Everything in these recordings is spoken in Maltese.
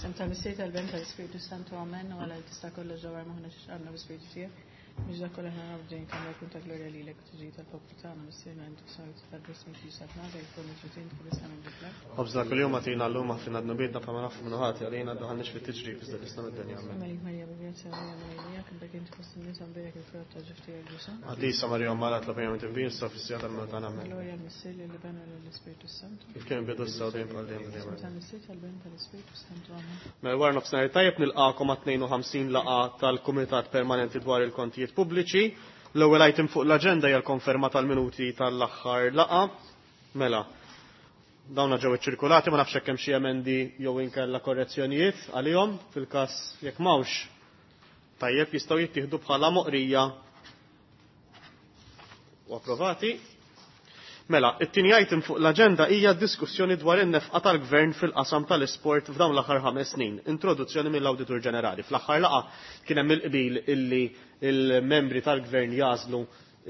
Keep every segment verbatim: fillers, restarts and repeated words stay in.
Isem tal-Missier tal-Ben tal-Ispirtu Santu Amen u għala tista' kollox ġawar maħna x'għandna bi-Spiritu tiegħek. Biex dak kollha ħna nabdejn kemm jkun ta' glorja lilek u tiġi tal-poplu tagħna Missierna intu sajt tal-bismi ġisa tnada jkun ġutin kibisna minn dik l-art. Ħobżna kuljum agħtina llum aħfirna dnubietna bħalma nafu minnu ħati għalina daħalniex fit-tiġrib iżda ħlisna mid-dinja. Amen. Malik Marija bi-grazzja Marija Marija kien dak inti fost in-nisa mbierek il-frott ta' ġuf tiegħek Ġesù. Qaddisa Marija Omm Alla itlob għalina midinbin issa u fis-siegħa tal-mewt tagħna. Amen. Glorja l-Missier lill-Iben u lill-Ispirtu Santu. Kif kien bidu issa u dejjem bħal dejjem Isem dejjem. tal-Missier tal-Ben tal-Ispirtu Santu Amen. Mela wara nofsinhar tajjeb nilqakom għat-tnejn u ħamsin laqgħa tal-Kumitat Permanenti dwar il-Kontijiet Pubbliċi. L-ewwel item fuq l-aġenda hija l-konferma tal-minuti tal-aħħar laqgħa. Mela, dawna ġew iċċirkulati, ma nafx hekk hemm xi emendi jew inkella korrezzjonijiet għalihom fil-każ jekk m'hawnx. Tajjeb jistgħu jittieħdu bħala moqrija u approvati. Mela, it-tieni item fuq l-aġenda hija diskussjoni dwar in-nefqa tal-Gvern fil-qasam tal-isport f'dawn l-aħħar ħames snin. Introduzzjoni mill-Awditur Ġenerali. Fl-aħħar laqgħa kien hemm il-qbil illi il-membri tal-Gvern jażlu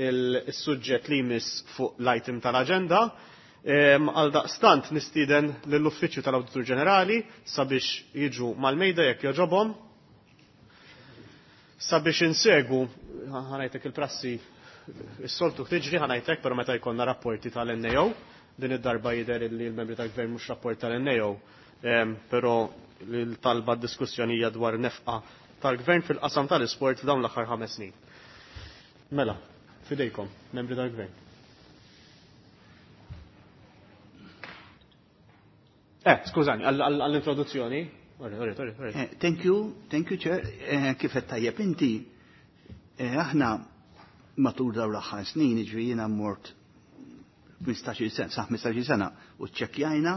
il-suġġett li jmiss fuq l-item tal-aġenda. Għal daqstant nistieden lill-Uffiċċju tal-Awditur Ġenerali sabiex jiġu mal-mejda jekk jogħġobhom. Sabiex insegu, ħanajtek il-prassi is-soltu tiġri ħanajtek, però meta jkollna rapporti tal-N A O, din id-darba jidher li l-membri tal-Gvern mhux rapport tal-N A O, però l-talba d-diskussjoni hija dwar nefqa tal-Gvern fil-qasam tal-isport f'dawn l-aħħar ħames snin. Mela, fidejkom, membri tal-Gvern. Eh, skużani, għall-introduzzjoni. Sorry, sorry, sorry, sorry. Eh, thank you, thank you, Chair. Eh, kif qed tajjeb inti, eh, aħna matul dawn l-aħħar snin, jiġifieri jiena mort ħmistax-il sena, sa ħmistax-il sena, u ċċekkjajna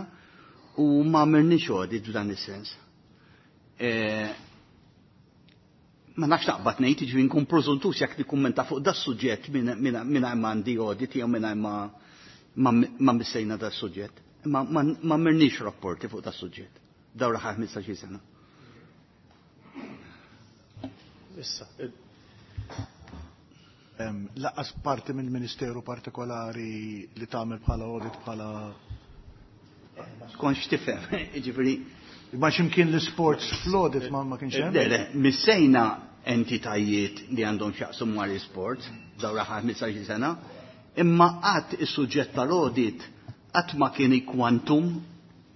u ma għamilniex audit f'dan is-sens. Eh, ma nafx naqbad ngħid, jiġifieri nkun preżuntus jekk nikkummenta fuq da suġġett mingħajr ma għandi audit jew mingħajr ma, ma, ma missejna da suġġett. Ma, ma, ma għamilniex rapporti fuq da suġġett. Dawn l-aħħar ħmistax-il sena. Issa, Em, Laqqas parti mill-Ministeru partikolari li tagħmel bħala audit bħala Skonx tifhem, jiġifieri. Ma x'imkien l-sports fl-audit ma, ma kienx hemm? Le, le, missejna entitajiet li għandhom x'jaqsmu mal-isports dawn l-aħħar ħmistax-il sena, imma qatt is-suġġett tal-audit qatt ma kien ikwantum,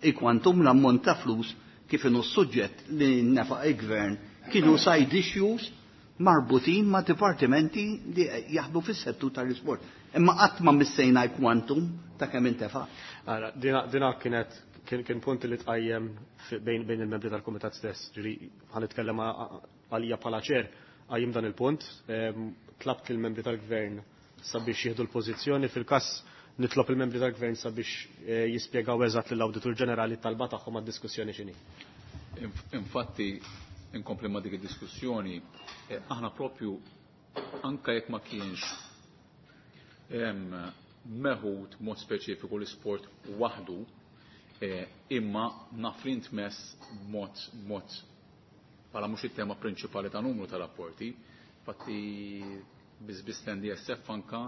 ikwantum l-ammont ta' flus kif inhu s-suġġett li nefaq il-gvern kienu side issues marbutin ma' dipartimenti li jaħdmu fis-settur tal-isport. Imma qatt ma missejna l-kwantum ta' kemm intefa'. Ara, dina, dina kienet kien, kien punt li tqajjem fi-, bejn, bejn il-membri tal-kumitat stess. Ġifieri ħa nitkellem a-, a-, għalija bħala ċer qajjem dan il-punt, ehm, tlabt lill-membri tal-gvern sabiex jieħdu l-pożizzjoni fil-każ nitlob il-membri tal-gvern sabiex, eh, jispjegaw eżatt lill-Awditur Ġenerali t-talba tagħhom għad-diskussjoni x'inhi. Inf-, infatti, inkompli ma' dik id-diskussjoni, eh, aħna propju anka jekk ma kienx, em, meħud mod speċifiku l-isport waħdu, eh, imma naf li ntmess mod, mod bħala mhux it-tema prinċipali ta' numru ta' rapporti, infatti biss N D S F anka,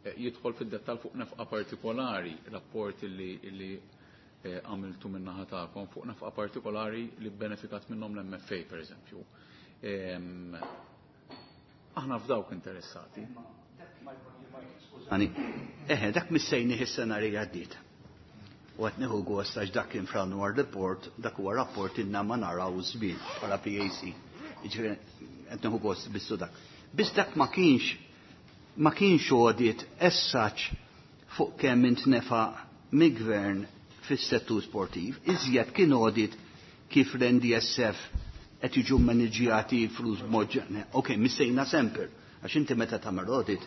eh, jidħol fid-dettall fuq nefqa partikolari, rapport li, li, eh, għamiltu min-naħa tagħkom fuq nefqa partikolari li benefikat minnhom l-M F A per eżempju. Em, aħna f'dawk interessati. Skużani, eħe, dak missejni is-sena li għaddiet. U qed nieħu gost għax dak kien fl-annual report, dak huwa rapport inna ma naraw żmien bħala P A C. Jiġifieri qed nieħu gost bissu dak. Biss dak ma kienx, ma kienx audit as such fuq kemm intnefa' mill-gvern fis-settur sportiv, iżjed kien audit kif l-N D S F qed jiġu maniġjati flus b'mod ġen-, ok, missejna sample, għax inti meta tagħmel audit,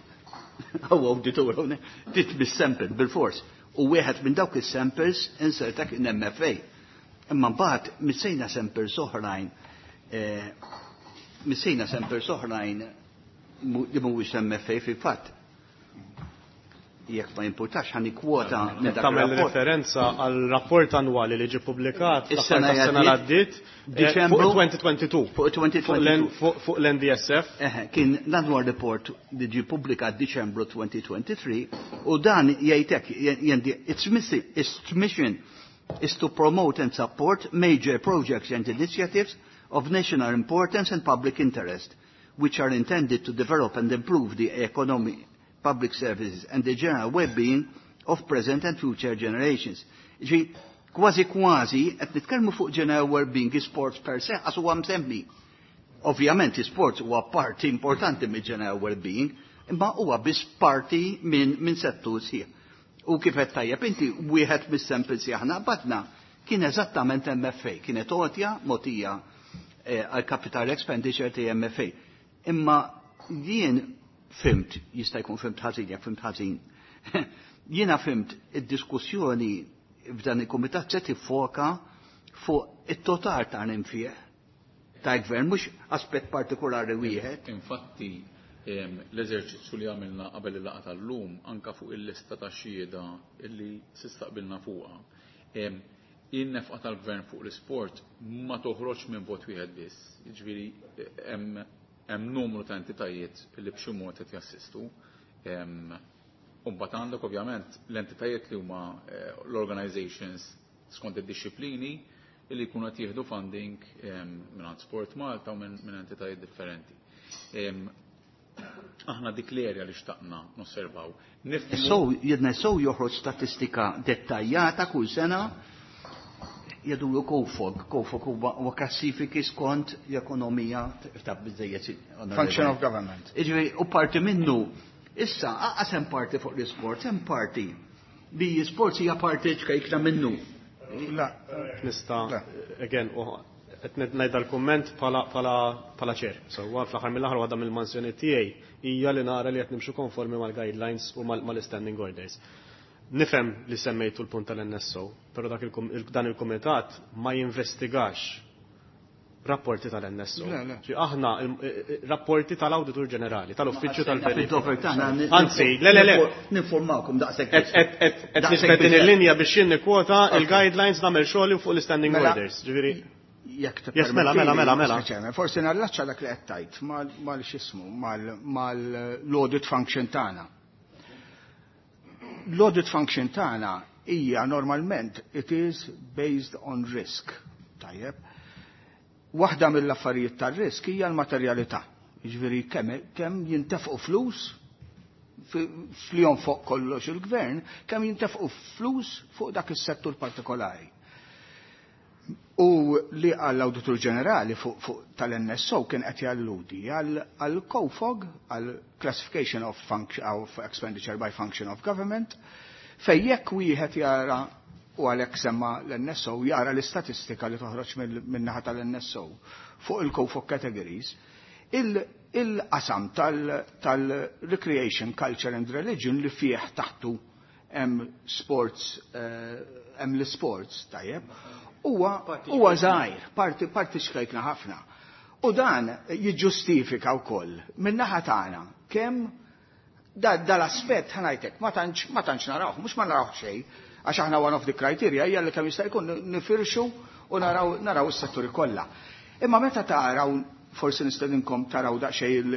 għaw auditor hawnhekk, titmiss sample bil-fors. U wieħed minn dawk is-samples inserta kien M F A. Imma mbagħad missejna samples oħrajn, eh, missejna samples oħrajn mu-, li mhuwiex M F A fil-fatt. Jekk ma jimpurtax ħa nikkwota minn dak Tagħmel ir-rapport. referenza għal rapport annwali li ġie ppubblikat Is-sena l-aħħar tas-sena li għaddiet, għaddiet, eh, fuq Diċembru twenty twenty-two. Fuq twenty Fuq l-N-, twenty-two. fuq, fuq l-N D S F. Eħe, kien l-annual report li ġie ppubblikat Diċembru twenty twenty-three u dan jgħidlek, j-, jendi, it's missing, it's mission is to promote and support major projects and initiatives of national importance and public interest, which are intended to develop and improve the economy, public services and the general well-being of present and future generations. Ġi, kważi kważi, qed nitkellmu fuq general well-being sports per se, għax huwa msemmi. Ovvjament sports huwa parti importanti mill general well-being, imma huwa biss parti minn min settur sħiħ. U kif qed tajjeb inti wieħed mis-samples li aħna qbadna kien eżattament M F A, kienet għotja mogħtija eh, għal capital expenditure ta' M F A. Imma jien fhimt, jista' jkun fhimt ħażin, jekk fhimt ħażin. Jiena fhimt id-diskussjoni f'dan il-kumitat se tiffoka fuq it-total ta' nfiq ta' gvern, mhux aspett partikolari wieħed. Infatti, em, l-eżerċizzju li għamilna qabel il-laqgħa tal-lum anka fuq il-lista ta' xhieda illi sistaqbilna fuqha. Em, In-nefqa tal-gvern fuq l-isport ma toħroġ minn vot wieħed biss. Jiġifieri hemm hemm numru ta' entitajiet li b'xi mod qed jassistu. Em, U mbagħad għandek ovvjament l-entitajiet li huma eh, l-organizations skont id-disciplini li jkunu qed jieħdu funding em, minn Sport Malta u minn minn entitajiet differenti. Em, Aħna dik l-erja li xtaqna nosservaw. Nifhmu- So, jedna so joħroġ statistika dettaljata kull sena jgħidulu COFOG. COFOG huwa huwa klassifiki skont l-ekonomija ta' biżejjed. Function of government. Iġifieri, u parti minnu, issa, aqas hemm parti fuq l-isport, hemm parti li sports hija parti ċkejkna minnu. La, Nista, Le. Again, u qed ngħid dal-kumment bħala bħala bħala chair. So huwa fl-aħħar mill-aħħar waħda mill-mansjoni tiegħi hija li nara li qed nimxu konformi mal-guidelines u mal- mal-standing orders. Nifhem li semmejtu l-punt tal-N S O, però dak il-kom- il- dan il-kumitat ma jinvestigax rapporti tal-N S O. Le, le. Ġi aħna il- il- rapporti tal-Awditur Ġenerali, tal-Uffiċċju tal-Verifika. Fid-dover tagħna Anzi, le, le, le. Ninformawkom daqshekk. Et et et et Daqshekk nisbet din biżżejjed. il-linja biex jien nikkwota il-guidelines, nagħmel xogħli fuq l-standing Mela, orders. Ġifieri, jekk Yes, mela, mela, mela, mela. Mister Chairman, forsi nallaċċa dak li qed tgħid mal mal x'ismu mal-audit function tagħna. L-audit function tagħna hija normalment it is based on risk. Tajjeb. Waħda mill-affarijiet tar-risk hija l-materjalità. Jiġifieri kemm kemm jintefqu flus fli fuq kollox il-gvern, kemm jintefqu flus fuq dak is-settur partikolari. U li għall-Awditur Ġenerali fuq fu tal-N S O kien qed jalludi għal COFOG, għal Classification of, Function, of Expenditure by Function of Government, fej jekk wieħed jara, u għalhekk semma l-N S O, jara l-istatistika li toħroġ min-naħa tal-N S O fuq il-COFOG categories, il-qasam tal-recreation, culture and religion li fih taħtu hemm sports, eh, hemm l-sports, tajjeb, huwa huwa żgħir, parti parti xkejkna ħafna. U dan jiġġustifika wkoll min-naħa tagħna kemm da dal-aspett ħa ngħidlek ma tantx ma tantx narawh, mhux ma narawh xejn, għax aħna one of the criteria hija li kemm jista' jkun nifirxu u naraw naraw is-setturi kollha. Imma meta taraw, forsi nistedinkom taraw daqsxejn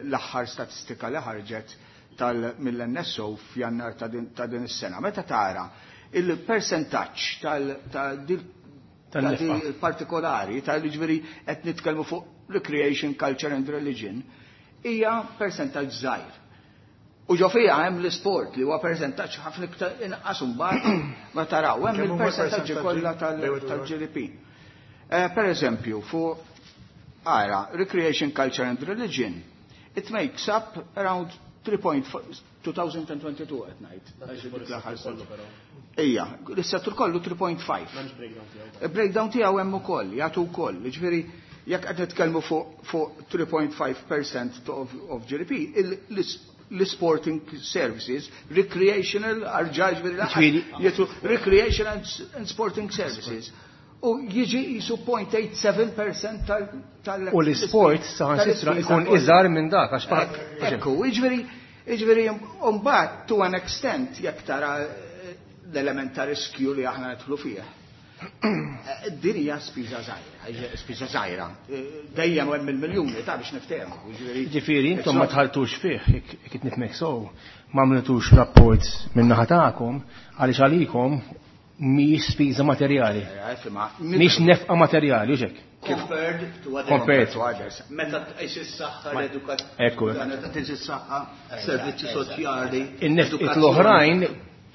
l-aħħar statistika li ħarġet tal mill-N S O f'Jannar ta' din ta' din is-sena. Meta tara il-percentaġġ tal ta' dil ta' Tal-nefqa. di partikolari tal-ġifieri qed nitkellmu fuq recreation, culture and religion, hija percentaġġ żgħir. U ġo fija hemm l-isport li huwa percentaġġ ħafna iktar inqas, imbagħad ma taraw hemm Kemm huma il-percentaġġi percentaġġi kollha tal- bejn u tal-G D P. Eh, Per eżempju, fuq ara, recreation, culture and religion, it makes up around three point four, twenty twenty-two qed ngħid. Għax dik l-aħħar sena. Ija, l-settur kollu three point five. Il-breakdown tiegħu hemm ukoll, jagħtu wkoll. Jiġifieri jekk qed nitkellmu fuq fuq three point five percent of, of G D P, il- l- l-sporting services, recreational, arġa ġifieri Ġifieri- jgħidu recreation and, and sporting services. U jiġi jisu zero point eight seven percent tal tal U l-sport saħansitra tal-ispiża ikun kollha. iżgħar minn dak għax pa- Ekku, jiġifieri, jiġifieri, mbagħad to an extent jekk tara eh, l-element ta' riskju li aħna nidħlu fih. Eh, Din hija spiża żgħira, spiża żgħira. Eh, Dejjem hemm il-miljuni ta' biex niftehmu. Jiġifieri Ġifieri, intom ma tħaltux fih, jekk jekk nifhmek sew, ma għamiltux rapport minn naħa tagħkom, għaliex għalikom mhijiex spiża materjali. Mhix nefqa materjali, u hekk. Compared to other Compared. To others. Meta tqis is-saħħa, l-edukazzjoni, Ekku. meta tqis is-saħħa, servizzi soċjali, In-nefqiet edukazzjoni. l-oħrajn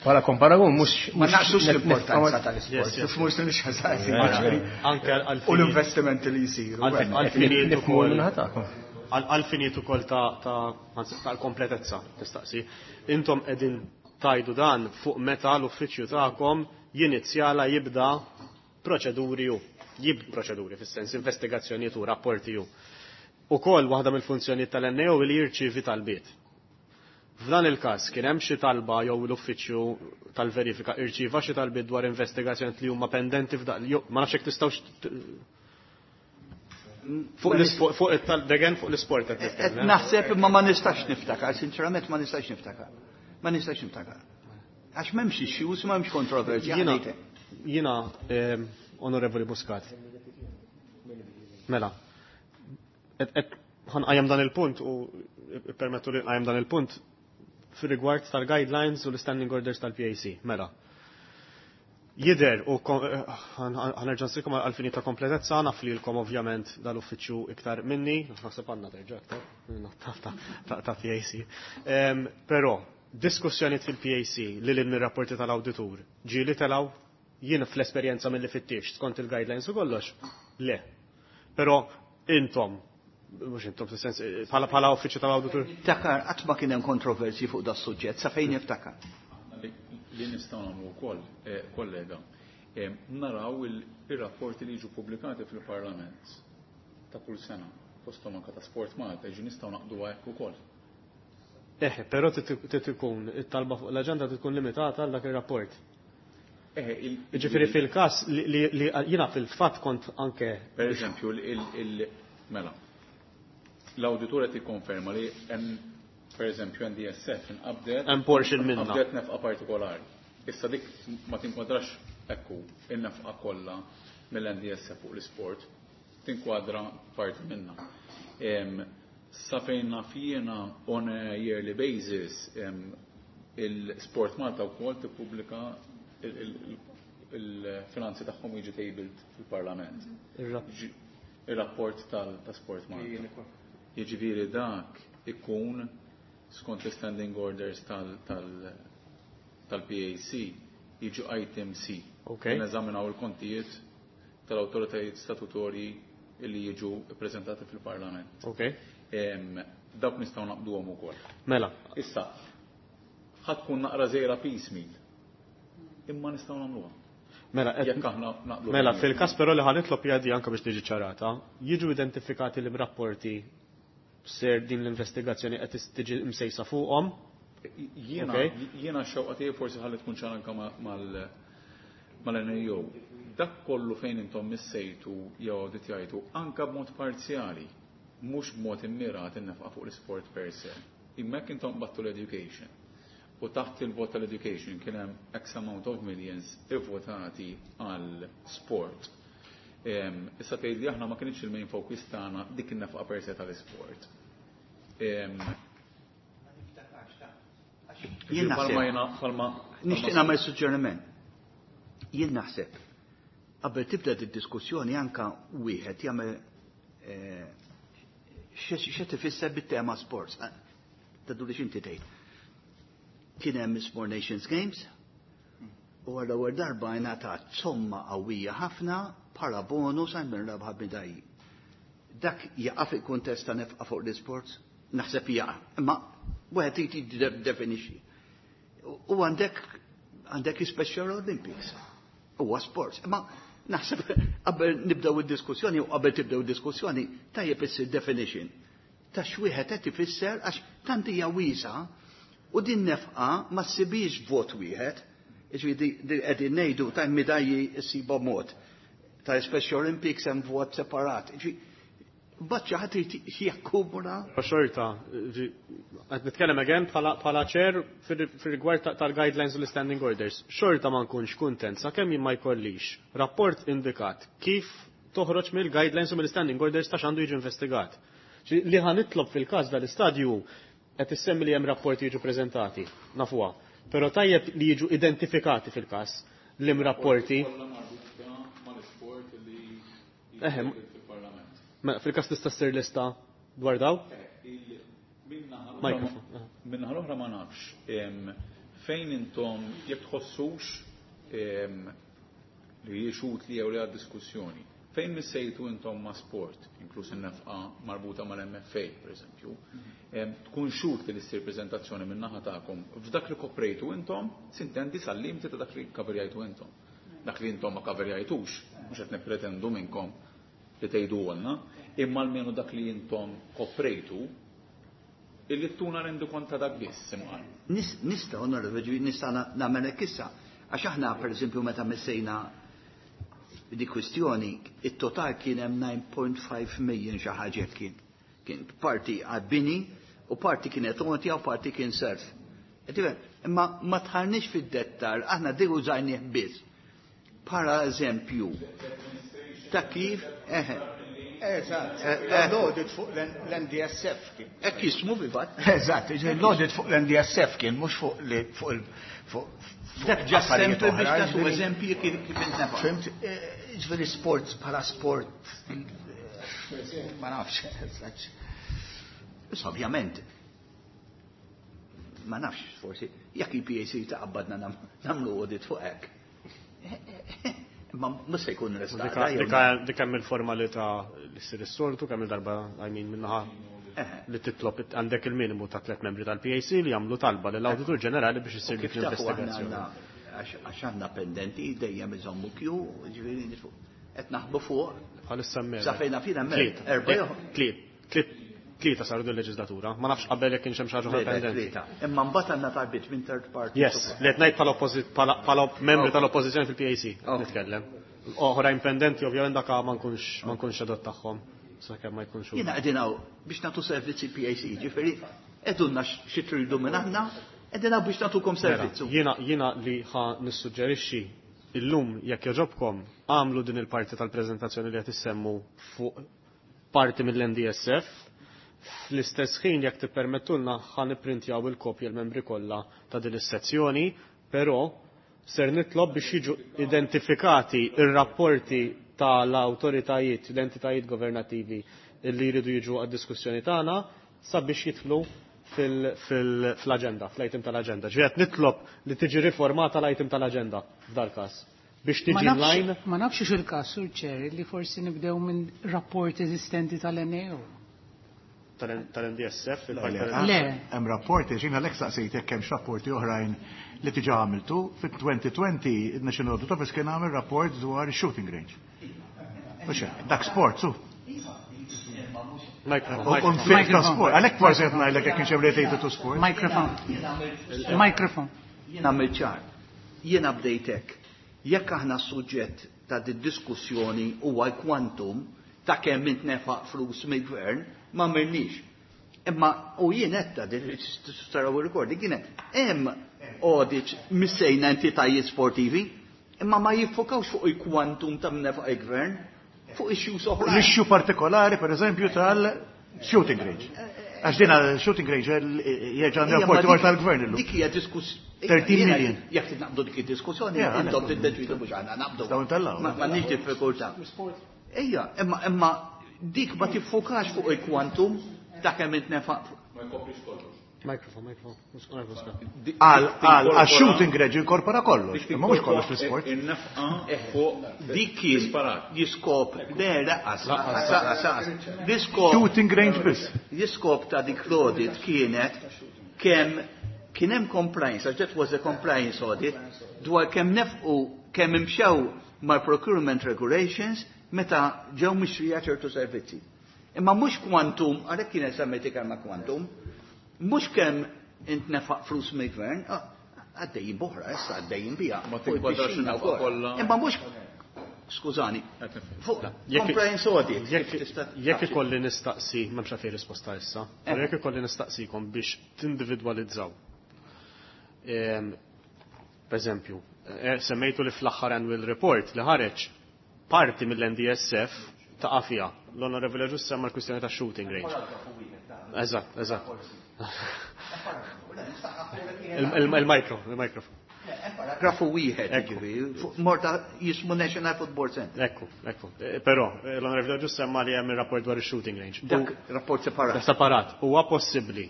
bħala komparagun mhux Ma naqsux mhux nef- l-importanza nefqa- tal-isport. Yes, yes. Mhux nix ħażin. Anke għal U l-investimenti li jisiru. Għal-finijiet Nifhmu ukoll minnaħa tagħkom. għal-finijiet ukoll ta' ta' anzi, tal-kompletezza tistaqsi. Intom qegħdin tajdu dan fuq meta l-uffiċċju tagħkom jinizjala jibda proċeduri u jib proċeduri fis-sens investigazzjonijiet u rapporti u. Ukoll waħda mill-funzjonijiet tal-N A O li jirċievi talbiet. F'dan il-każ kien hemm xi talba jew l-uffiċċju tal-verifika irċieva xi talbiet dwar investigazzjoni li huma pendenti f'dan jew ma nafx hekk tistgħux t- fuq l-isport fuq it-tal fuq l-isport qed Qed nitkellem. naħseb imma ma nistax niftakar, sinċerament ma nistax niftakar. Ma nistax niftakar. Għax m'hemmx issues, m'hemmx kontroversja. Jiena, ħanejtek. jiena, ehm, Onorevoli Muscat. Mela, et, et, ħanqajjem dan il-punt u permettu li nqajjem dan il-punt fir-rigward tal-guidelines u l-standing orders tal-P A C. Mela. Jider u ħanerġa' nsirkom għal-fini ta' kompletezza, naf li lkom ovvjament dal-uffiċċju iktar minni, naħseb għandna terġa' aktar ta' ta' ta' P A C. Em, Però, diskussjoniet fil-P A C li l mir-rapporti tal-awditur ġieli telaw jien fl-esperjenza mill-li fittix skont il-guidelines u kollox, le. Però intom, mhux intom fis-sens bħala bħala uffiċċju tal-awditur, Niftakar, qatt ma kien hemm kontroversji fuq da suġġett, sa fejn niftakar. Li li nistgħu nagħmlu wkoll, eh, kollega, eh, naraw il- ir-rapporti li jiġu pubblikati fil-Parlament ta' kull sena, fosthom anke ta' Sport Malta, jiġu nistgħu naqdu hekk ukoll. Eħe, però trid ikun it-talba fuq l-aġenda tkun limitata għal dak ir-rapport. Eħe, il- Ġifieri fil-każ li, li, li jiena fil-fatt kont anke Per eżempju, il, il, mela, l-awditur qed jikkonferma li hemm, per eżempju, N D S F inqabdet hemm portion minna. Qabdet nefqa partikolari. Issa dik ma tinkwadrax ekku in-nefqa kollha mill-N D S F fuq l-isport, tinkwadra parti minna. Em, Sa fejn naf jiena, on a yearly basis, em, il-Sport Malta wkoll tippubblika il- il- il-finanzi tagħhom jiġi tabled fil-Parlament. Ir-rap- Il-rapport tal- ta' Sport Malta. Jiġifieri dak ikun skont l-standing orders tal- tal- tal-P A C jiġu item C. Ok. Neżaminaw il-kontijiet tal-awtoritajiet statutorji li jiġu ppreżentati fil-Parlament. Ok. Em, Dawk nistgħu naqduhom ukoll. Mela, Issa, ħa tkun naqra żejra piecemeal. Imma nistgħu nagħmluha. Mela, qed- Jekk aħna naqblu. Mela, fil-każ però li ħa nitlob jadi anke biex tiġi ċarata, jiġu identifikati li rapporti ser din l-investigazzjoni qed tiġi msejsa fuqhom. Jiena Ok. jiena x-xewqa tiegħi forsi ħalli tkun ċara anke ma- mal mal-N A O. Dak kollu fejn intom missejtu jew awditjajtu anka b'mod parzjali, mhux b'mod immirat in-nefqa fuq l-isport per se. Imma jekk intom battu l-education u taħt il-vot tal-education kien hemm X amount of millions ivvotati għal sport. Em, Issa tgħid li aħna ma kienx il-main focus tagħna dik in-nefqa per se tal-isport. Em, Jien Palma naħseb. jena, palma. Nixtieq nagħmel suġġeriment. Jien naħseb qabel tibda d-diskussjoni anka wieħed jagħmel eh, x'e tifisser bit-tema sports. Tadu li x'inti tgħid. Kien hemm Small Nations Games u għal ewwel darba ngħatat somma qawwija ħafna bħala bonus għal min rebaħ medalji. Dak jaqa' fil-kuntest ta' nefqa fuq l-isports? Naħseb jaqa'. Imma wieħed irid jiddefinixxi. U għandek għandek Special Olympics. Huwa sports. Imma naħseb qabel nibdew id-diskussjoni u qabel tibdew id-diskussjoni tajjeb issir definition ta' x'wieħed qed ifisser, għax tant hija wiesa u din nefqa ma ssibix vot wieħed. Jiġifieri qegħdin ngħidu ta' medalji ssiba mod. Ta' Special Olympics hemm vot separat. Jiġifieri baċċa ħadd irid jakkumula. Xorta, qed nitkellem again bħala bħala chair fir-rigward tal-guidelines u l-standing orders. Xorta ma nkunx kuntent sakemm jien ma jkollix rapport indikat kif toħroġ mill-guidelines u mill-standing orders ta' x'għandu jiġi investigat. Li ħa nitlob fil-każ dal-istadju, qed issemmi li hemm rapporti jiġu preżentati, nafuha. Però tajjeb li jiġu identifikati fil-każ. lim rapporti. Eħe, fil-każ tista' ssir lista dwar daw? Minnaħa l-oħra ma nafx fejn intom jekk tħossux li jixut li jew li għad diskussjoni. Fejn missejtu intom ma' sport, inkluż in-nefqa marbuta mal-M F A, per eżempju, tkun xut li ssir preżentazzjoni min-naħa tagħkom f'dak li koprejtu intom, sintendi sal-limiti ta' dak li kaverjajtu intom. Dak li intom ma kaverjajtux, mhux qed nippretendu minnkom li tgħidu għalna, imma almenu dak li intom koprejtu, illi tuna rendu kont ta' dak biss, imqar. Nista' onorevoli, nista' nagħmel hekk issa. Għax aħna, per eżempju, meta missejna di kwistjoni, it-total kien hemm nine point five million xi ħaġa kien. Kien parti għad-bini u parti kienet għotja u parti kien serf. Imma ma tħarniex fid-dettal, aħna dik użajnieh biss. Para eżempju ta' kif, eħe. Eżatt, l-audit fuq l-N D S F kien. Hekk jismu fil-fatt. Eżatt, jiġifieri l-audit fuq l-N D S F kien, mhux fuq li fuq il fuq Dak ġa affarijiet sempliċi biex oħra, tagħtu jiġifieri eżempji kif kif intnefaq. Fimt, jiġifieri sport bħala sport, ma nafx, eżatt. Issa ovvjament, ma nafx forsi, jekk il-P A C taqabbadna nam-, nagħmlu audit fuq hekk. Ma mhux se jkun restata, Dika, jew dika, le. dik hemm il-formalità li ssir is-soltu kemm il-darba, I mean, minnaħa Eħe. li titlob għandek il-minimu ta' tliet membri tal-P A C li jagħmlu talba lill-Awditur Ġenerali biex issir U dik kif tafu aħna l-investigazzjoni. għandna, għax, għax għandna pendenti dejjem iżommu kju, ġifieri nitfu. Qed naħbu fuq. Bħalissa mela. Sa fejna fina mela. Tlieta. Erba' jew- Tliet. Tliet. Tlieta saru din il-leġislatura. Ma nafx qabel jekk kienx hemm xi ħaġa Le, le, pendenti. tlieta. Imma mbagħad għandna talbiet minn third party. Yes, li qed ngħid bħala oppożi-, bħala, bħala membri Ok. tal-oppożizzjoni fil-P A C, Ok. nitkellem. Oħrajn pendenti ovvjament dak ma nkunx, ma nkunx adott tagħhom. Sakemm ma jkunx hu. Jiena qegħdin hawn biex nagħtu servizzi P A C, ġifieri qegħdulna xi tridu minn aħna, qegħdin hawn biex nagħtukom Mela, servizzu. Jiena, jiena li ħa nissuġġerixxi illum jekk jogħġobkom għamlu din il-parti tal-preżentazzjoni li qed issemmu fuq parti mill-N D S F. Fl-istess ħin jekk tippermettulna ħa nipprintjaw il-kopji l-membri kollha ta' din is-sezzjoni, però ser nitlob biex jiġu identifikati ir-rapporti tal-awtoritajiet, l-entitajiet governattivi li jridu jiġu għad-diskussjoni tagħna sabiex jidħlu fil-, fil-, fl-aġenda, fl-item tal-aġenda. Ġifieri qed nitlob li tiġi riformata l-item tal-aġenda f'dal każ biex Ma tiġi nafx- line. Ma nafx x'il każ, Sur Chair, li forsi nibdew minn rapport eżistenti tal-N A O. Tal-N D S F, Le, il-parti le, tal-N D S F. Le. Hemm rapporti, x'inha l-ek saqsejt jekk hemmx rapporti oħrajn li diġà għamiltu. Fit-twenty twenty il-National Audit Office kien għamel rapport dwar shooting range. Mhux hekk, dak sport, su. Microphone, U microphone. nfiq ta' sport. Għalhekk forsi qed ngħidlek jekk kienx hemm related to sport. Microphone. Microphone. Jien għamilt ċar. Jiena bdejt hekk. Jekk aħna s-suġġett ta' di diskussjoni huwa l-kwantum ta' kemm intnefaq flus mill-gvern, ma mirniex. Imma u jien qed din taraw ir-recording kienet hemm audit missejna entitajiet sportivi, imma ma jiffokawx fuq il-kwantum ta' nefaq il-gvern, fuq issues oħra. L-issue partikolari, per eżempju, tal-shooting range. Għax din shooting range jerġa' Ija, rapporti ma dwar tal-gvern illum. Dik hija diskuss- thirteen Jiena million. Jekk naqbdu dik id-diskussjoni, Ja, intom għalhekk. tiddeċidu mhux aħna naqbdu. Dawn tal-law. Ma m'għandniex diffikultà. Ejja, imma, imma dik ma tiffokax fuq il-kwantum ta' kemm intnefaq. Ma jkoprix kollox. Microphone, microphone. Microphone. Dik Għal, dik għal, tinkorpora- għal shooting range inkorpora kollox, dik imma mhux kollox tinkorpora fl-sport. In-nefqa fuq Dik kien disparat. jiskop, le, laqas, laqas, laqas, laqas. L-iskop Shooting range biss. L-iskop ta' dik l-audit kienet kemm kien hemm compliance, għax that was a compliance audit, dwar kemm nefqu, kemm imxew mal-procurement regulations meta ġew mixtrija ċertu servizzi. Imma mhux kwantum, għalhekk kienet semmejti kelma kwantum, mhux kemm intnefaq flus mill-gvern, ah, għaddejjin boħra, issa għaddejjin bija. Ma Fuq tinkwadrax il-pixxina in-nefqa wkoll. kollha. Imma mhux, skużani, fuq Jekk- compliance audit. Jekk kif tista' jekk tafx. ikolli nistaqsi, m'hemmx għalfejn risposta issa, Eh. però jekk ikolli nistaqsikom biex tindividwalizzaw. Ehm, per eżempju, eh, semmejtu li fl-aħħar annual report li ħareġ parti mill-N D S F ta' fiha. L-Onorevole Ġus semma l-kwistjoni ta' shooting range. Eżatt, eżatt. Il-micro, il-microphone. Paragrafu wieħed, jiġifieri, Morta jismu National Football Center. Ekku, ekku. Però, l-Onorevoli Agius semma li hemm ir-rapport dwar is-shooting range. Dak rapport separat. Separat. Huwa possibbli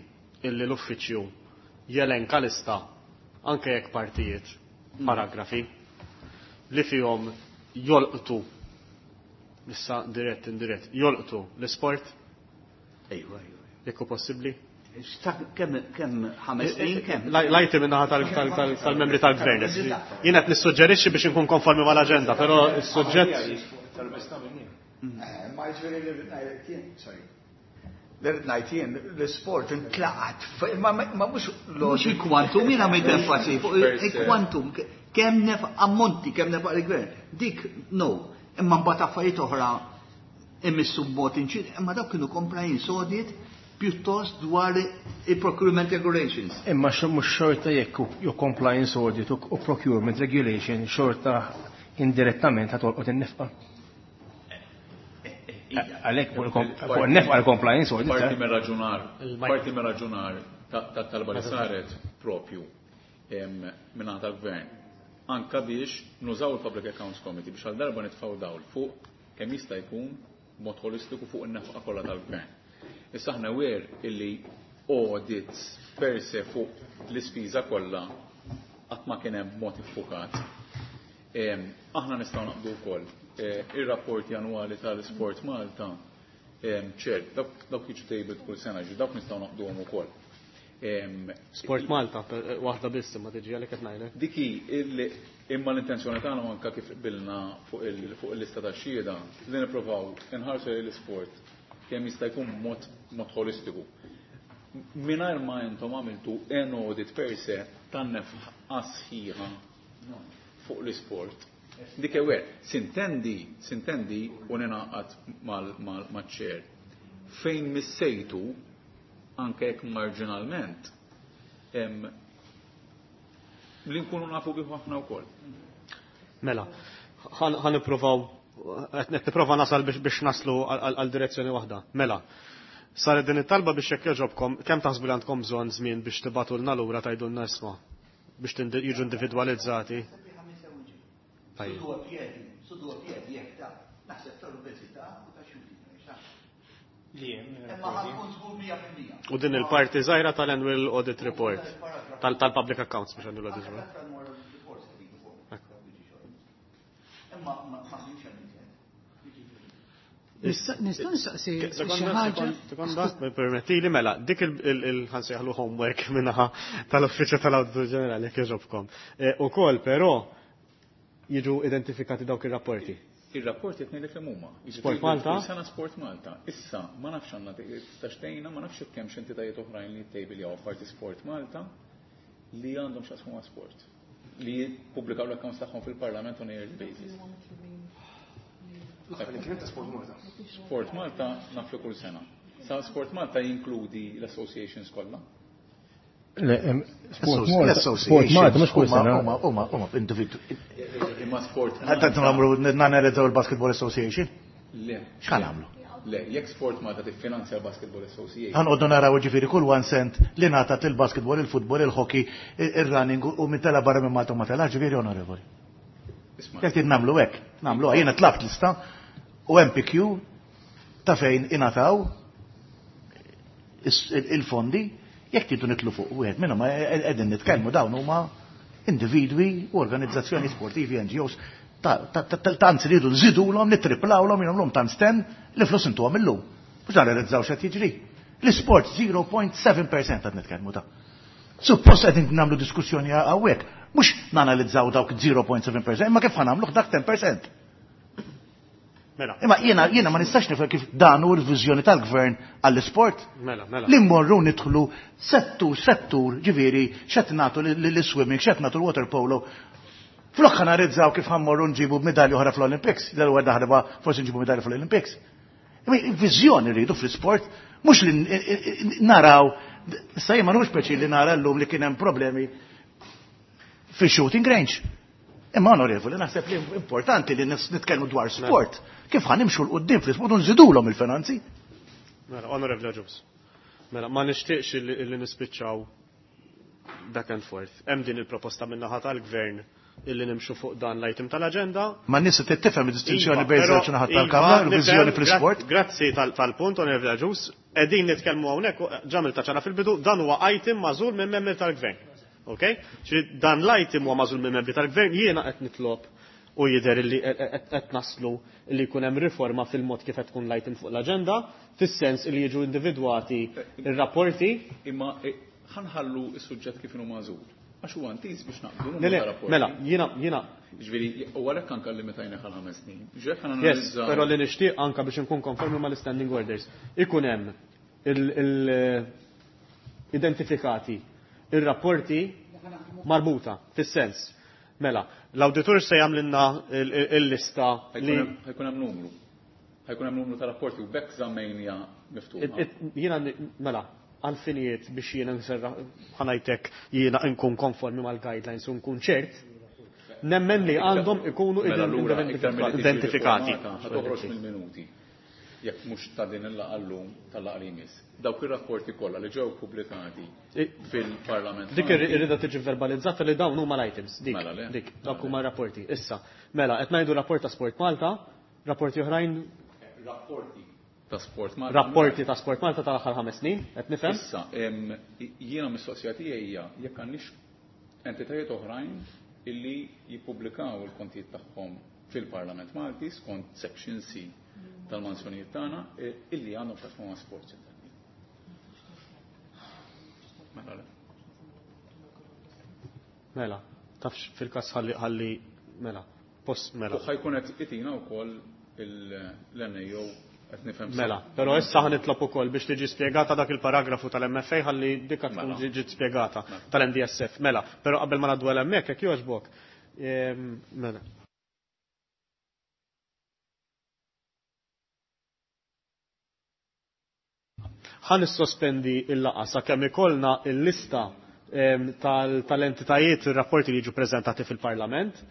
illi l-uffiċċju jelenka lista anke jekk partijiet, paragrafi, li fihom jolqtu issa dirett indirett, jolqtu l-isport? Ejwa, ejwa. Jekk hu possibbli? Kemm kemm ħames snin kemm? Lajti minnaħa tal-membri tal-gvern. Jien qed nissuġġerixxi biex inkun konformi mal-aġenda, però s-suġġett. Ma jiġifieri li rrid ngħidlek jien, sorry. Li rrid ngħid jien l-isport intlaqat, ma mhux mhux il-kwantum, jien għamilt enfasi fuq il-kwantum, kemm nef ammonti, kemm nefaq il-gvern. Dik no, imma mbagħad affarijiet oħra immissu b'mod inċid, imma dawk kienu compliance audit pjuttost dwar il-procurement regulations. Imma mhux xorta jekk ju compliance audit u procurement regulation xorta indirettament ħatolqot in-nefqa. Għalhekk fuq in-nefqa l-compliance audit. Parti mir-raġunar, parti mir-raġunar tat-talba li saret propju minn tal-gvern. Anka biex nużaw il-Public Accounts Committee biex għal darba nitfgħu dawl fuq kemm jista' jkun mod holistiku fuq in-nefqa kollha tal-gvern. Issa aħna wer illi audits per se fuq l-ispiża kollha qatt ma kien hemm mod iffukat. Aħna nistgħu naqbdu wkoll ir-rapporti annwali tal-Sport Malta ċert, dawk jiġu tabled kull sena, ġi dawk nistgħu naqduhom ukoll. Sport Malta waħda biss imma tiġi għalhekk qed ngħidlek. Diki imma l-intenzjoni tagħna anke kif qbilna fuq il-lista tax-xhieda li nippruvaw inħarsu l-isport kemm jista' jkun mod mod holistiku. Mingħajr ma intom għamiltu en audit per se tan-nefqa sħiħa fuq l-isport. Dik ewer, sintendi, sintendi u ninaqat mal-ċer. Fejn missejtu, anke jekk marġinalment, li nkunu nafu bih aħna wkoll. Mela, ħa nippruvaw qed nipprova nasal biex naslu għal direzzjoni waħda. Mela, saret din it-talba biex jekk jogħġobkom, kemm taħsbu li għandkom bżonn żmien biex tibatulna lura tgħidulna isma' biex jiġu individwalizzati? Tajjeb. U din il-parti żgħira tal-Annual Audit Report, tal-Public Accounts biex Annual Audit Report. Nistgħu nistaqsi xi ħaġa. Sekonda, permettili mela, dik il-ħansejħlu homework minnaħa tal-Uffiċċju tal-Awditur Ġenerali jekk jogħġobkom. Ukoll però jiġu identifikati dawk ir-rapporti. Ir-rapporti qed ngħidlek kemm huma. Sport Malta? Sena Sport Malta. Issa ma nafx għandna tistax tgħinna, ma nafx hekk hemm entitajiet oħrajn li jittejbiljaw apparti Sport Malta li għandhom x'jaqsmu ma' sport li jippubblikaw l-accounts tagħhom fil-Parlament on a yearly basis. Sport Malta. Sport Malta naflu kull sena. Sa Sport Malta jinkludi l-associations kollha. Le, Sport Malta. Sport Malta mhux kull sena. Huma huma huma individwu. Imma Sport Malta. Qed nagħmlu nanalizzaw il-Basketball Association? Le. X'ħan nagħmlu? Le, jekk Sport Malta tiffinanzja l-Basketball Association. Ħanqogħdu naraw ġifieri kull one cent li ngħatat il-basketball, il-futbol, il-hockey, ir-running u min tela barra minn Malta u ma tela, ġifieri onorevoli. Jekk trid nagħmlu hekk, nagħmlu jiena tlabt lista u M P Q ta' fejn ingħataw il-fondi jekk tridu nitlu fuq wieħed minnhom qegħdin nitkellmu dawn huma individwi u organizzazzjoni sportivi N G Os tant ridu nżidulhom, nittriplawhom, jagħmluhom tant sten li flus intuhom illum. Mhux narrealizzaw x'qed jiġri. L-isport zero point seven percent qed nitkellmu ta'. Suppost qegħdin nagħmlu diskussjoni hawnhekk, mhux nanalizzaw dawk zero point seven percent, imma kif ħanagħmluh dak ten percent. Mela. Imma jiena jiena ma nistax nifhem kif dan hu l-viżjoni tal-gvern għall-isport. Mela, mela. Li mmorru nidħlu settur settur, ġifieri x'qed nagħtu lill-swimming, x'qed nagħtu l-water polo. Flok ħanarizzaw kif ħammorru nġibu medalja oħra fl-Olympics, l-ewwel darba forsi nġibu medalja fl-Olympics. Viżjoni rridu fl-isport, mhux li naraw, issa jien ma nux peċi li nara llum li kien hemm problemi fi shooting range. Imma onorevoli, naħseb li importanti li nitkellmu dwar sport. Kif ħa nimxu 'l quddiem fl-isport u nżidulhom il-finanzi? Mela, onorevoli Agius. Mela, ma nixtieqx li nispiċċaw back and forth. Hemm din il-proposta min-naħa tal-gvern illi nimxu fuq dan l-item tal-aġenda. Ma n-nies tifhem id-distinzjoni Iva, bejn però- żewġ naħat iva, tal-Kamra, nifhem, il-viżjoni fl-isport. gra- Grazzi tal- tal-punt, Onorevoli Agius. Qegħdin nitkellmu hawnhekk, ġamil ta' ċara fil-bidu, dan huwa item magħżul minn membri tal-gvern. Ok? Ġifieri dan l-item huwa magħżul minn membri tal-gvern, jiena qed nitlob u jidher li qed naslu li jkun hemm riforma fil-mod kif qed tkun l-item fuq l-aġenda, fis-sens li jiġu individwati ir-rapporti. Imma eh, ħa nħallu s-suġġett kif inhu magħżul. Għax huwa intiż biex naqblu Le, numru le, ta' rapporti. mela, jiena jiena Ġifieri, u għalhekk anke limitajna għal ħames snin. Ġifieri ħa Yes, nanalizzaw. però li nixtieq anka biex nkun konformi mal-standing orders. Ikun hemm il-identifikati ir-rapporti marbuta fis-sens. Mela, l-awditur se jagħmlilna il-lista li Ħa jkun hemm numru. Ħa jkun hemm numru ta' rapporti u b'hekk żammejnija miftuħa. Jiena mela, għalfinijiet biex jiena nserra ħa ngħidlek jiena nkun konformi mal-guidelines u nkun ċert, nemmen li għandhom ikunu Mela allura, iktar milli tiġi identifikati. riformata, ħa toħroġ mill-minuti. Jekk mhux ta' din il-laqgħa llum tal-laqgħa li jmiss. Dawk ir-rapporti kollha li ġew pubblikati fil-Parlament. Dik Malti, irrida tiġi verbalizzata li dawn huma l-items, dik, Mela, le. dik, dawk huma rapporti. Issa, mela, qed ngħidu rapport ta' Sport Malta, rapporti oħrajn, Rapporti ta' Sport Malta. rapporti ta' Sport Malta tal-aħħar ħames snin, qed nifhem? Issa, em, jiena mistoqsija tiegħi hija jekk għandniex entitajiet oħrajn illi jippubblikaw il-kontijiet tagħhom fil-Parlament Malti skont Section C tal-mansjonijiet tagħna eh, illi għandhom x'jaqsmu ma' sport. Mela le. Mela, tafx fil-każ ħalli ħalli mela, post mela. U ħa jkun qed itina wkoll l-N A O qed nifhem sew. Mela, però issa ħa nitlob ukoll biex tiġi spjegata dak il-paragrafu tal-M F A ħalli dikka tkun Mela. ġiet spjegata tal-N D S F. Mela, però qabel ma ngħaddu għal hemmhekk jekk jogħġbok. Ehm, Mela. Ħa nissospendi il-laqgħa sakemm ikollna il-lista em, tal- tal-entitajiet ir-rapporti li jiġu preżentati fil-Parlament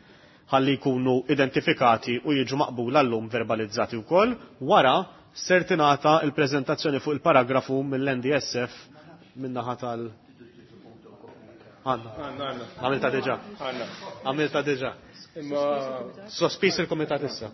ħalli jkunu identifikati u jiġu maqbula llum verbalizzati wkoll. Wara ser tingħata il-preżentazzjoni fuq il-paragrafu mill-N D S F min-naħa tal- Għanna. Għanna, għanna. Għamilta diġà. Għanna. Għamilta diġà. Imma Sospis il-komitat issa.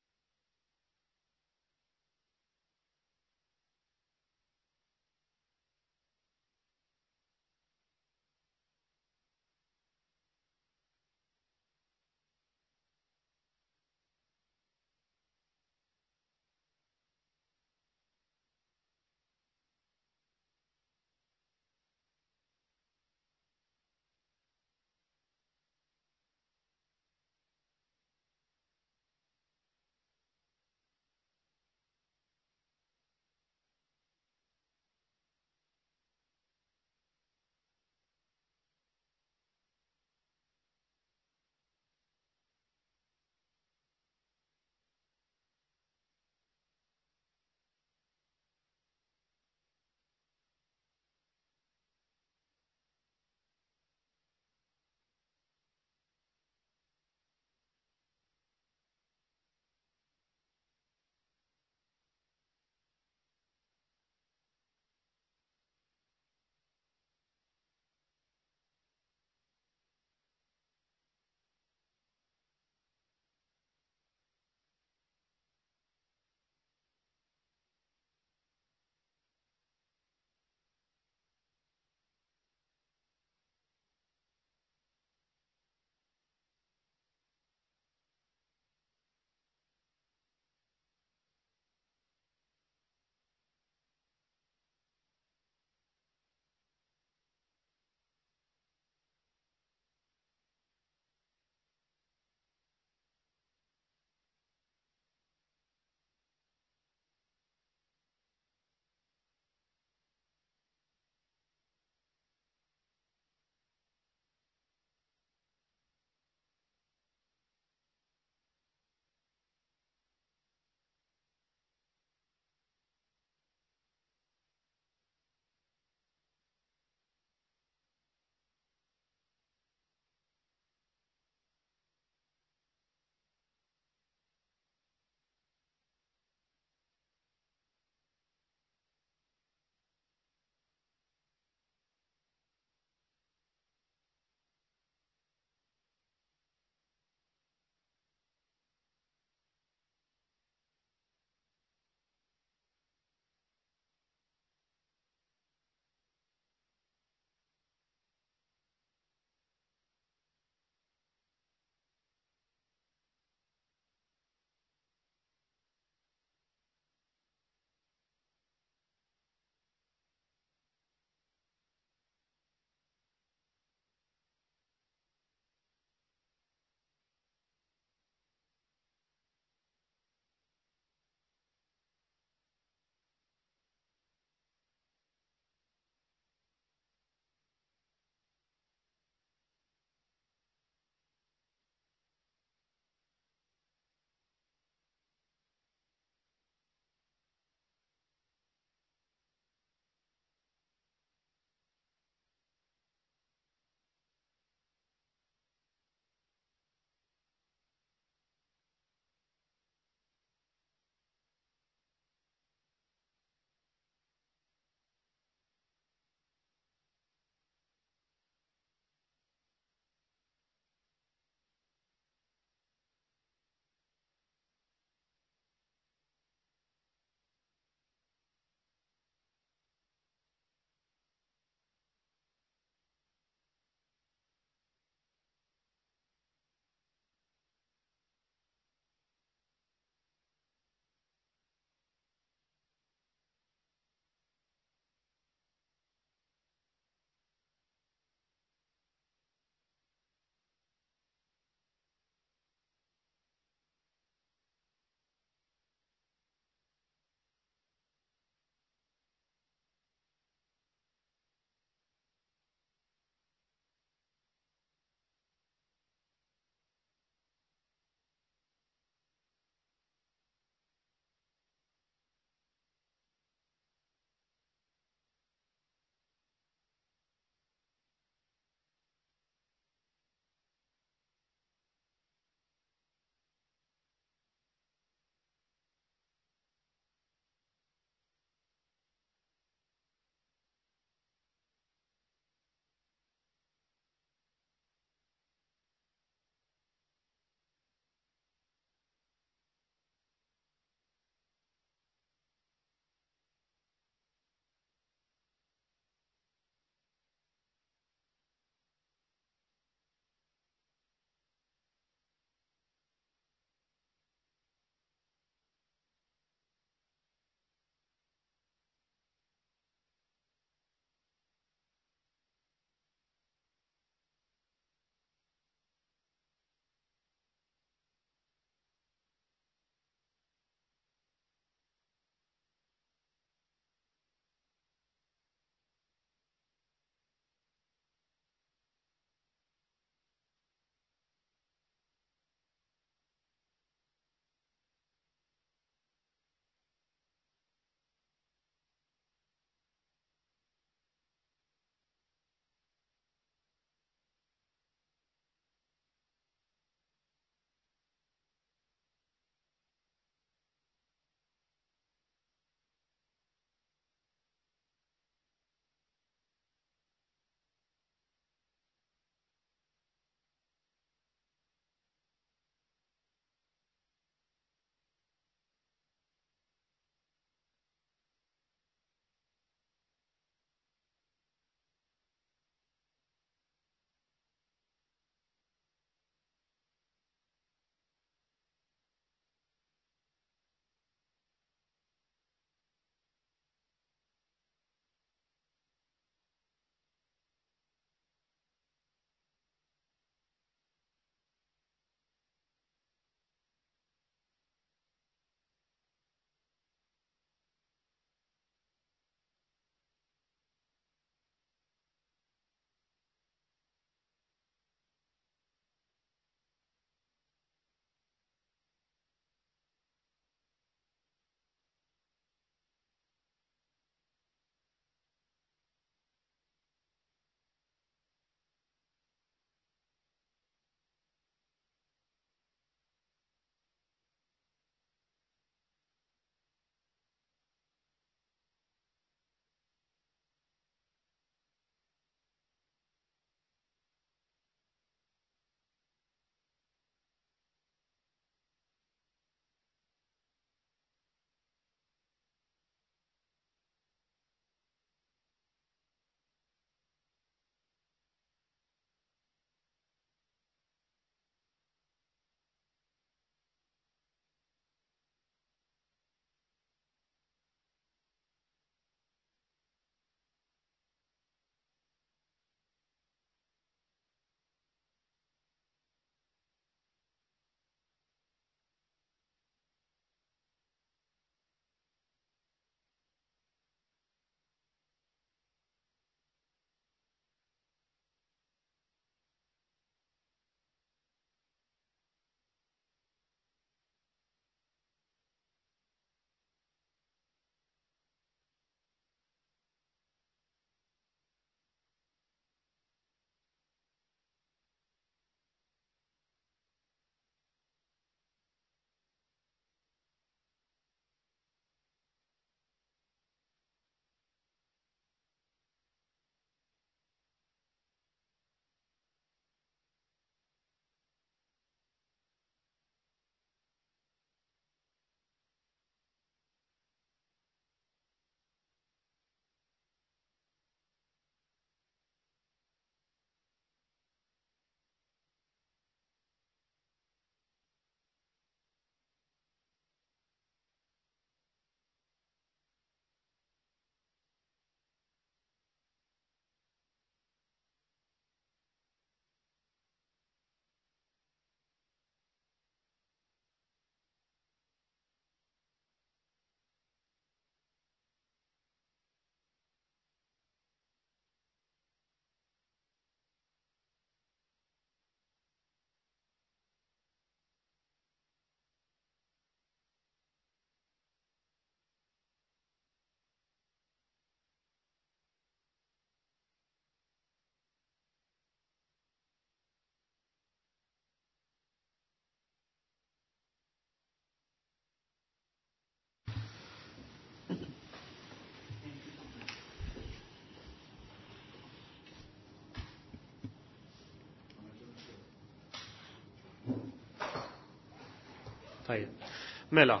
Tajjeb. Mela,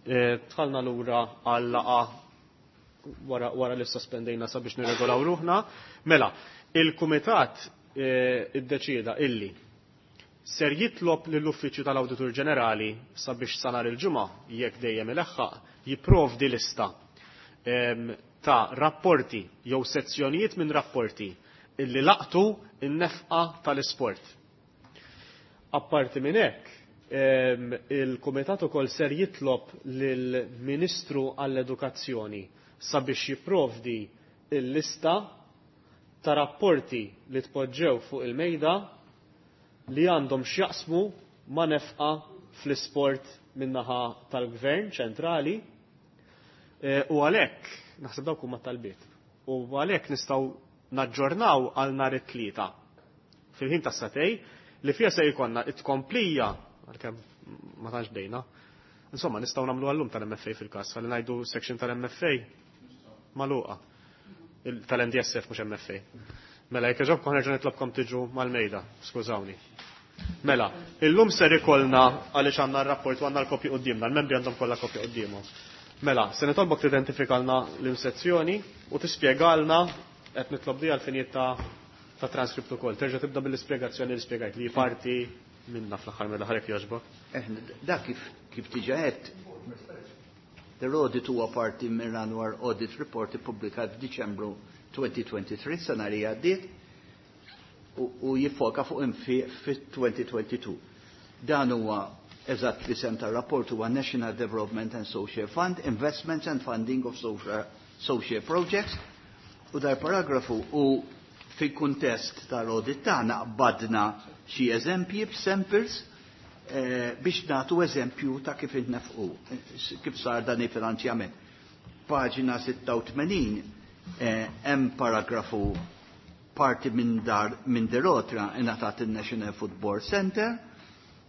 eh, dħalna lura għal laqgħa wara, wara li sospendejna sabiex nirregolaw ruħna. Mela, il-Kumitat eh, iddeċieda illi ser jitlob lill-Uffiċċju tal-Awditur Ġenerali sabiex sa nhar il-ġimgħa jekk dejjem ileħħaq jipprovdi lista em, ta' rapporti jew sezzjonijiet minn rapporti illi laqtu in-nefqa tal-isport. Apparti minn hekk, em, il-Kumitat ukoll ser jitlob lill-Ministru għall-Edukazzjoni sabiex jipprovdi il-lista ta' rapporti li tpoġġew fuq il-mejda li għandhom x'jaqsmu ma' nefqa fl-isport min-naħa tal-Gvern ċentrali e, u għalhekk naħseb dawk huma talbiet. U għalhekk nistgħu naġġornaw għal nhar it-tlieta fil-ħin tas-sagħtejn li fiha se jkollna it-tkomplija għalkemm ma tantx bdejna. Insomma, nistgħu nagħmlu għallum tal-M F A fil-każ, ħalli ngħidu section tal-M F A magħluqa. Tal-N D S F mhux M F A. Mela, jekk jogħġobkom nerġa' nitlobkom tiġu mal-mejda, skużawni. Mela, illum ser ikollna għaliex għandna r-rapport u għandna l-kopji quddiemna, l-membri għandhom kollha kopji quddiemhom. Mela, se nitolbok tidentifikalna l-sezzjoni u tispjegalna qed nitlob di għal-finijiet ta' ta' transcript ukoll. Terġa' tibda bil-ispjegazzjoni li spjegajt li parti minna fl-aħħar mill-aħħar jekk jogħġbok. Eh, da kif kif diġà għedt, the audit huwa parti minn annual audit report ippubblikat f'Diċembru elfejn u tlieta u għoxrin, sena li għaddiet, u, u jiffoka fuq infiq fit-elfejn u tnejn u għoxrin. Dan huwa eżatt l-isem tar-rapport huwa National Development and Social Fund, Investments and Funding of Social, Social Projects, u dar paragrafu u fil-kuntest tal-audit tagħna qbadna xi eżempji b'samples eh, biex nagħtu eżempju ta' kif intnefqu, kif sar dan il-finanzjament. Paġina sitta u tmenin eh, hemm paragrafu parti minn dar minn derotra ingħatat il-National Football Center.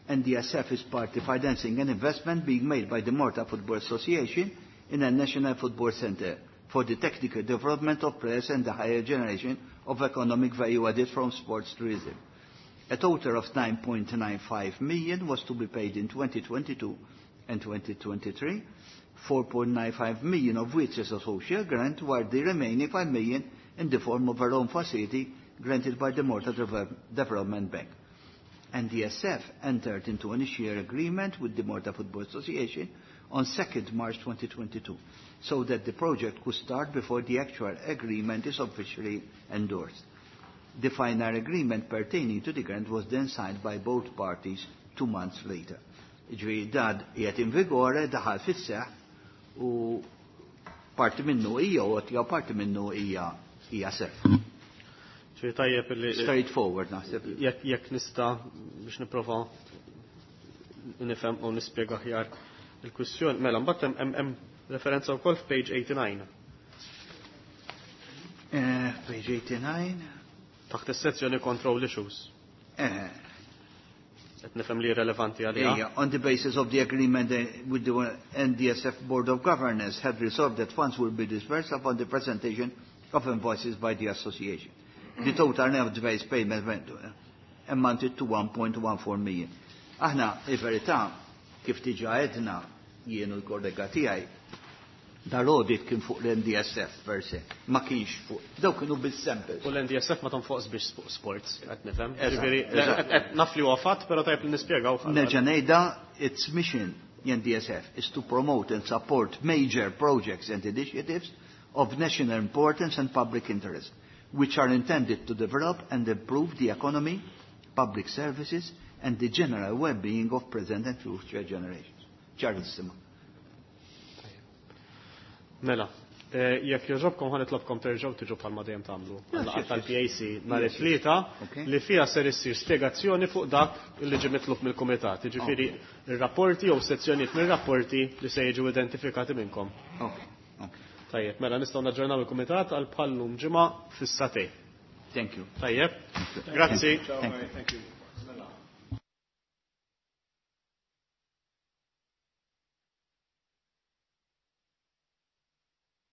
N D S F is party financing an investment being made by the Malta Football Association in a National Football Center for the technical development of players and the higher generation of economic value added from sports tourism. A total of nine point nine five million was to be paid in twenty twenty-two and twenty twenty-three, four point nine five million of which is a social grant, while the remaining five million in the form of a loan facility granted by the Malta Development Bank. N D S F entered into an share agreement with the Malta Football Association on second March twenty twenty-two, so that the project could start before the actual agreement is officially endorsed. The final agreement pertaining to the grant was then signed by both parties two months later. Ġifieri dan qiegħed in vigore, daħal fis-seħħ u parti minnu hija għotja u parti minnu hija hija self. Ġifieri tajjeb li Straightforward naħseb. Jekk jekk nista' biex nipprova nifhem u nispjega aħjar il-kwistjoni. Mela, mbagħad hemm hemm referenza wkoll f'page eighty-nine. Eh, page eighty-nine. Taħt is-sezzjoni control issues. Eh. Qed nifhem li relevanti għaliha. Yeah, on the basis of the agreement eh, with the N D S F Board of Governors had resolved that funds will be disbursed upon the presentation of invoices by the association. The total net advance payment went to, eh, amounted to one point one four million. Aħna, il-verità, kif diġà għedna jien u l-kollega tiegħi, dal-audit kien fuq l-N D S F per se, ma kienx fuq, daw kienu bil-samples. U l-N D S F ma tonfoqx biex sports, qed nifhem. Eżatt, Ġifieri, eżatt. qed naf li huwa fatt, però tajjeb li nispjegaw. Nerġa' ngħidha, its mission, N D S F, is to promote and support major projects and initiatives of national importance and public interest, which are intended to develop and improve the economy, public services, and the general well-being of present and future generations. Ċarissima. Mela, eh, jekk jogħġobkom ħa nitlobkom terġgħu tiġu bħalma dejjem tagħmlu. Għal tal-P A C nhar it-tlieta li fiha ser issir spjegazzjoni fuq dak li ġie mitlub mill-kumitat. Jiġifieri ir-rapporti jew sezzjonijiet mir-rapporti li se jiġu identifikati minnkom. Tajjeb, mela nistgħu naġġornaw il-kumitat għal bħallum ġimgħa fis-sagħtejn. Thank you. Tajjeb. Grazzi. Thank you. Thank you.